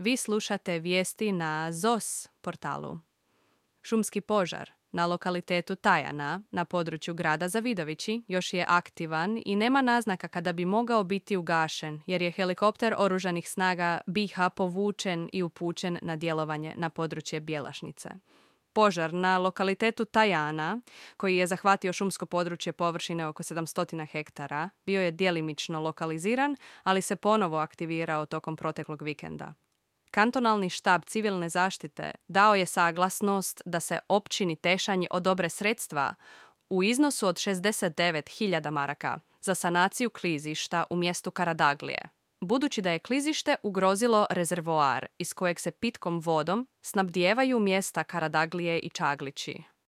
Vi slušate vijesti na ZOS portalu. Šumski požar na lokalitetu Tajana na području grada Zavidovići još je aktivan i nema naznaka kada bi mogao biti ugašen jer je helikopter oružanih snaga BiH povučen i upućen na djelovanje na područje Bjelašnice. Požar na lokalitetu Tajana, koji je zahvatio šumsko područje površine oko 700 hektara, bio je djelimično lokaliziran, ali se ponovo aktivirao tokom proteklog vikenda. Kantonalni štab civilne zaštite dao je saglasnost da se općini Tešanj odobre sredstva u iznosu od 69.000 maraka za sanaciju klizišta u mjestu Karadaglije, budući da je klizište ugrozilo rezervoar iz kojeg se pitkom vodom snabdijevaju mjesta Karadaglije i Čaglići.